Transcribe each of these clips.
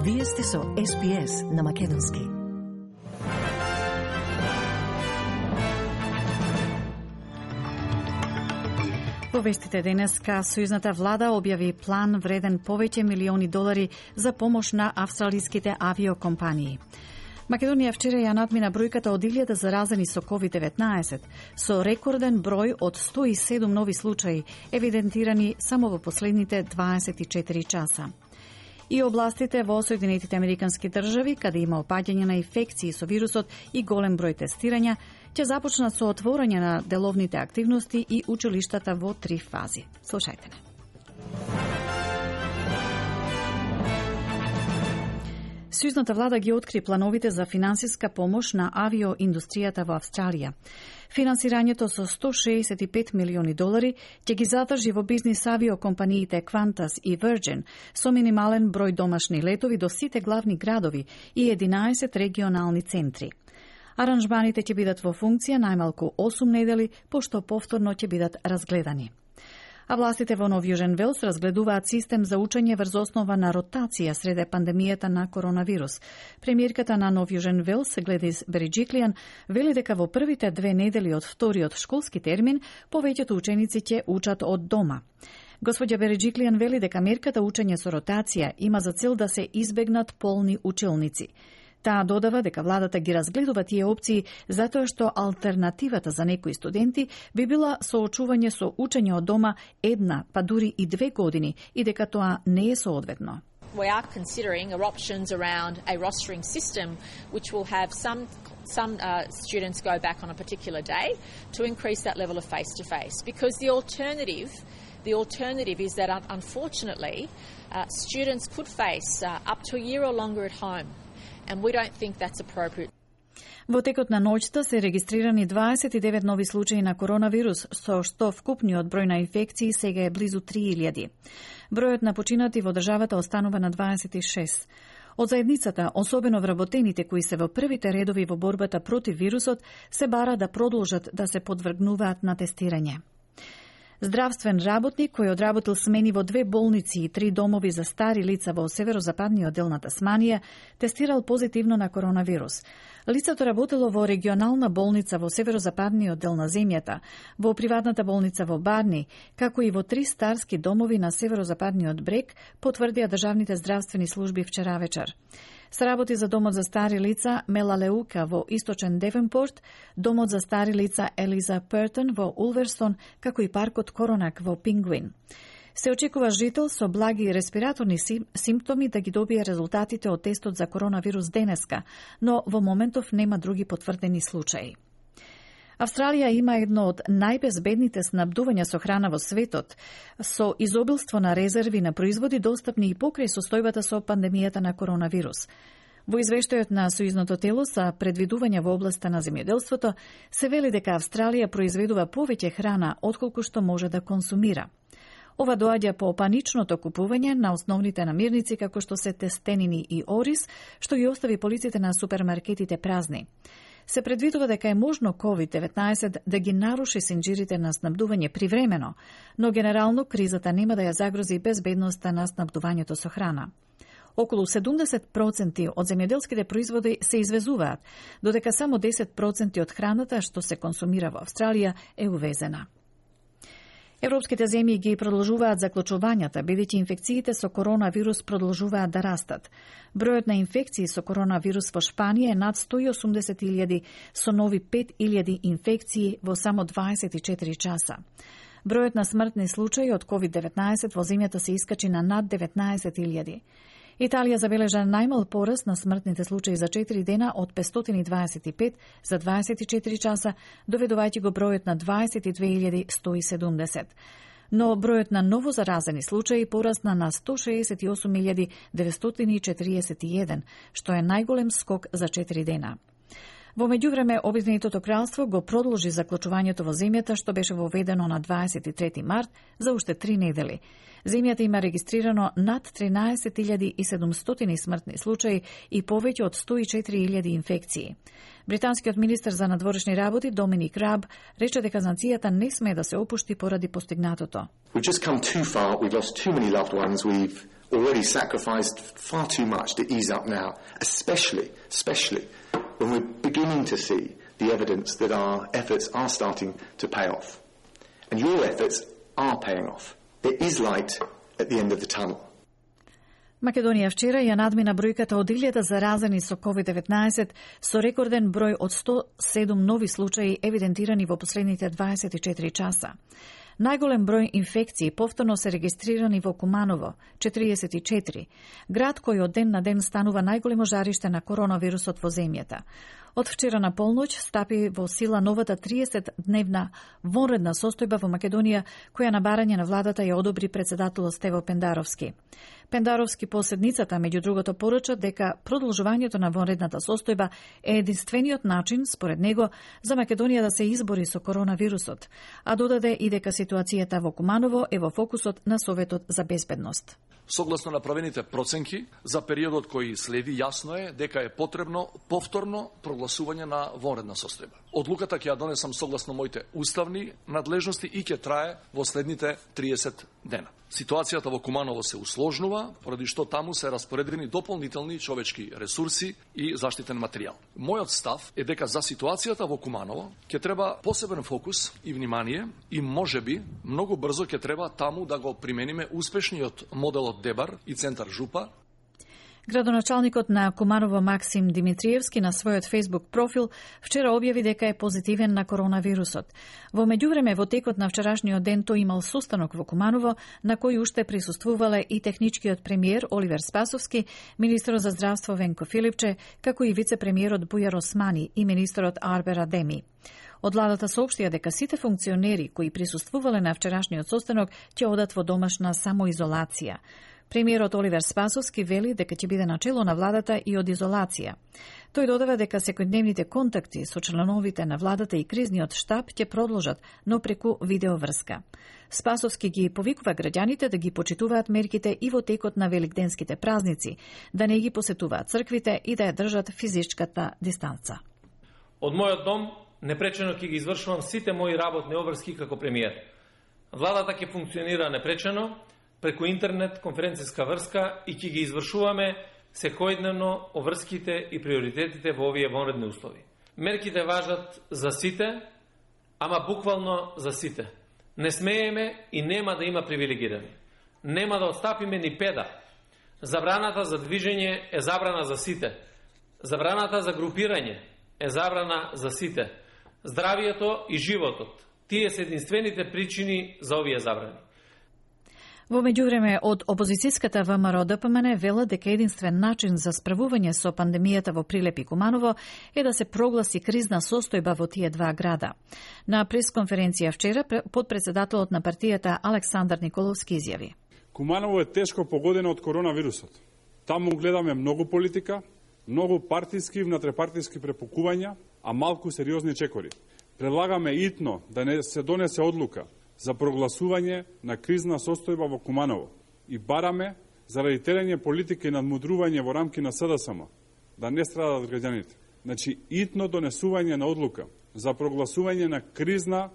Вие сте со SPS на Македонски. Во вестите денеска, сојузната влада објави план вреден повеќе милиони долари за помош на австралиските авиокомпании. Македонија вчера ја надмина бројката од 1000 заразени со COVID-19, со рекорден број од 107 нови случаи, евидентирани само во последните 24 часа. И областите во Соединетите Американски држави, каде има опаѓање на инфекции со вирусот и голем број тестирања, ќе започнат со отворање на деловните активности и училиштата во 3 фази. Слушајте не. Сојузната влада ги откри плановите за финансиска помош на авиоиндустријата во Австралија. Финансирањето со 165 милиони долари ќе ги задржи во бизнис авиокомпаниите Qantas и Virgin со минимален број домашни летови до сите главни градови и 11 регионални центри. Аранжманите ќе бидат во функција најмалку 8 недели, пошто повторно ќе бидат разгледани. А властите во Нов Јужен Велс разгледуваат систем за учење врз основа на ротација среде пандемијата на коронавирус. Премиерката на Нов Јужен Велс, Гледис Береджиклијан, вели дека во првите 2 недели од вториот школски термин повеќето ученици ќе учат од дома. Господја Береджиклијан вели дека мерката учење со ротација има за цел да се избегнат полни училници. Таа додава дека владата ги разгледува тие опции затоа што алтернативата за некои студенти би била соочување со учење од дома 1, па дури и 2 години и дека тоа не е соодветно. We are considering options around a rostering system which will have some students go back on a particular day to increase that level of face-to-face, because the alternative is that unfortunately students could face up to a year or longer at home. And we don't think that's appropriate. Во текот на ноќта се регистрирани 29 нови случаи на коронавирус, со што вкупниот број на инфекции сега е близу 3000. Бројот на починати во државата останува на 26. Од заедницата, особено вработените кои се во првите редови во борбата против вирусот, се бара да продолжат да се подвргнуваат на тестирање. Здравствен работник кој одработил смени во 2 болници и 3 домови за стари лица во северозападниот дел на Тасманија, тестирал позитивно на коронавирус. Лицето работело во регионална болница во северозападниот дел на земјата, во приватната болница во Барни, како и во 3 старски домови на северозападниот брег, потврдија државните здравствени служби вчера вечер. Сработи за домот за стари лица Мелалеука во источен Девенпорт, домот за стари лица Елиза Пертон во Улверстон, како и паркот Коронак во Пингвин. Се очекува жител со благи респираторни симптоми да ги добие резултатите од тестот за коронавирус денеска, но во моментов нема други потврдени случаи. Австралија има едно од најбезбедните снабдувања со храна во светот, со изобилство на резерви на производи достапни и покрај состојбата со пандемијата на коронавирус. Во извештајот на Сојузното тело за предвидување во областа на земјоделството се вели дека Австралија произведува повеќе храна отколку што може да консумира. Ова доаѓа по паничното купување на основните намирници како што се тестенини и ориз, што ги остави полиците на супермаркетите празни. Се предвидува дека е можно COVID-19 да ги наруши синџирите на снабдување привремено, но генерално кризата нема да ја загрози безбедноста на снабдувањето со храна. Околу 70% од земјоделските производи се извезуваат, додека само 10% од храната што се консумира во Австралија е увезена. Европските земји ги продолжуваат заклучувањата, бидејќи инфекциите со коронавирус продолжуваат да растат. Бројот на инфекции со коронавирус во Шпанија е над 180.000, со нови 5.000 инфекции во само 24 часа. Бројот на смртни случаи од COVID-19 во земјата се искачи на над 19.000. Италија забележа најмал пораст на смртните случаи за 4 дена од 525 за 24 часа, доведувајќи го бројот на 22.170. Но бројот на ново заразени случаи порасна на 168.941, што е најголем скок за 4 дена. Во меѓувреме, Обединетото кралство го продолжи заклучувањето во земјата, што беше воведено на 23 март за уште 3 недели. Земјата има регистрирано над 13.700 смртни случаи и повеќе од 104.000 инфекции. Британскиот министер за надворешни работи Доминик Раб рече дека нацијата не смее да се опушти поради постигнатото. We've just come too far. We've lost too many loved ones. already sacrificed far too much to ease up now, especially when we're beginning to see the evidence that our efforts are starting to pay off. And your efforts are paying off. There is light at the end of the tunnel. Македонија вчера ја надмина бројката од 1000 заразени со COVID-19 со рекорден број од 107 нови случаи евидентирани во последните 24 часа. Најголем број инфекции повторно се регистрирани во Куманово, 44, град кој од ден на ден станува најголемо жариште на коронавирусот во земјата. Од вчера на полноќ стапи во сила новата 30-дневна вонредна состојба во Македонија, која на барање на владата ја одобри председателот Стево Пендаровски. Пендаровски по седницата, меѓу другото, порача дека продолжувањето на вонредната состојба е единствениот начин, според него, за Македонија да се избори со коронавирусот, а додаде и дека ситуацијата во Куманово е во фокусот на Советот за безбедност. Согласно направените проценки за периодот кој следи, јасно е дека е потребно повторно прогласување на вонредна состојба. Одлуката ќе ја донесам согласно моите уставни надлежности и ќе трае во следните 30 дена. Ситуацијата во Куманово се усложнува, поради што таму се распоредени дополнителни човечки ресурси и заштитен материјал. Мојот став е дека за ситуацијата во Куманово ќе треба посебен фокус и внимание и можеби многу брзо ќе треба таму да го примениме успешниот модел од Дебар и Центар Жупа. Градоначалникот на Куманово Максим Димитриевски на својот Facebook профил вчера објави дека е позитивен на коронавирусот. Во меѓувреме, во текот на вчерашниот ден тој имал состанок во Куманово, на кој уште присуствувале и техничкиот премиер Оливер Спасовски, министерот за здравство Венко Филипче, како и вице-премиерот Бујар Османи и министерот Арбер Адеми. Од владата соопштија дека сите функционери кои присуствувале на вчерашниот состанок ќе одат во домашна самоизолација. Премиерот Оливер Спасовски вели дека ќе биде начело на владата и од изолација. Тој додава дека секојдневните контакти со членовите на владата и кризниот штаб ќе продолжат, но преку видеоврска. Спасовски ги повикува граѓаните да ги почитуваат мерките и во текот на великденските празници, да не ги посетуваат црквите и да ја држат физичката дистанца. Од мојот дом непречено ќе ги извршувам сите мои работни обврски како премиер. Владата ќе функционира непречено преку интернет конференцијска врска и ќе ги извршуваме секојдневно обврските и приоритетите во овие вонредни услови. Мерките важат за сите, ама буквално за сите. Не смееме и нема да има привилегирани. Нема да отстапиме ни педа. Забраната за движење е забрана за сите. Забраната за групирање е забрана за сите. Здравието и животот, тие се единствените причини за овие забрани. Во меѓувреме, од опозицијската ВМРО ДПМН вела дека единствен начин за справување со пандемијата во Прилеп и Куманово е да се прогласи кризна состојба во тие два града. На пресконференција вчера, подпредседателот на партијата Александар Николовски изјави: Куманово е тешко погодено од коронавирусот. Таму гледаме многу политика, многу партиски и внатрепартиски препукувања, а малку сериозни чекори. Предлагаме итно да не се донесе одлука за прогласување на кризна состојба во Куманово и бараме заради терење политика и надмудрување во рамки на СДСМ да не страдат граѓаните. Значи, итно донесување на одлука за прогласување на кризна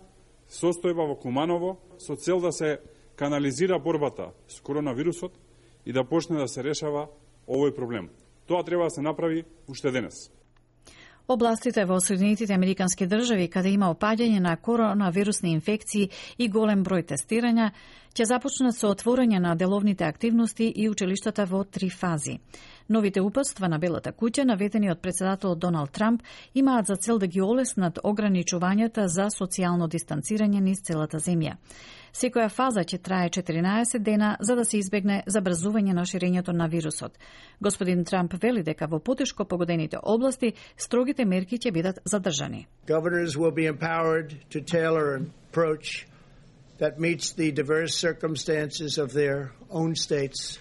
состојба во Куманово со цел да се канализира борбата с коронавирусот и да почне да се решава овој проблем. Тоа треба да се направи уште денес. Областите во Соединетите Американски држави, каде има опаѓање на коронавирусни инфекции и голем број тестирања, ќе започнат со отворање на деловните активности и училиштата во 3 фази. Новите упатства на Белата куќа, наведени од председателот Доналд Трамп, имаат за цел да ги олеснат ограничувањата за социјално дистанцирање низ целата земја. Секоја фаза ќе трае 14 дена за да се избегне забрзување на ширењето на вирусот. Господин Трамп вели дека во потешко погодените области строгите мерки ќе бидат задржани. Governors will be empowered to tailor an approach that meets the diverse circumstances of their own states.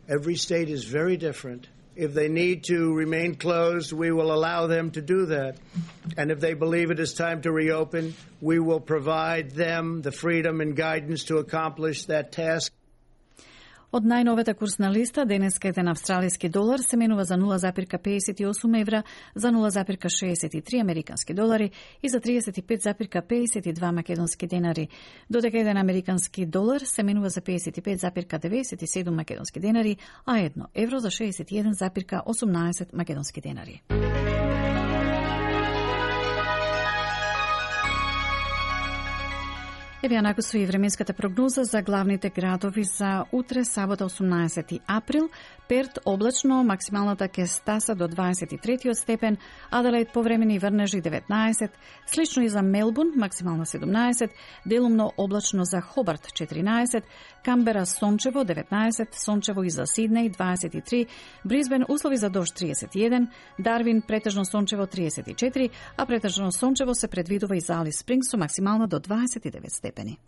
Every state is very different. If they need to remain closed, we will allow them to do that. And if they believe it is time to reopen, we will provide them the freedom and guidance to accomplish that task. Од најновата курсна листа, денеска еден австралиски долар се менува за 0,58 евра, за 0,63 американски долари и за 35,52 македонски денари, додека еден американски долар се менува за 55,97 македонски денари, а 1 евро за 61,18 македонски денари. Еве ја накусува и временската прогноза за главните градови за утре, сабота 18 април. Перт облачно, максималната ќе стаса до 23 степен, Аделаид повремени врнежи 19, слично и за Мелбурн, максимална 17, делумно облачно за Хобарт 14, Камбера сончево 19, сончево и за Сиднеј 23, Брисбен услови за дожд 31, Дарвин претежно сончево 34, а претежно сончево се предвидува и за Алис Спрингс со максимална до 29 степени.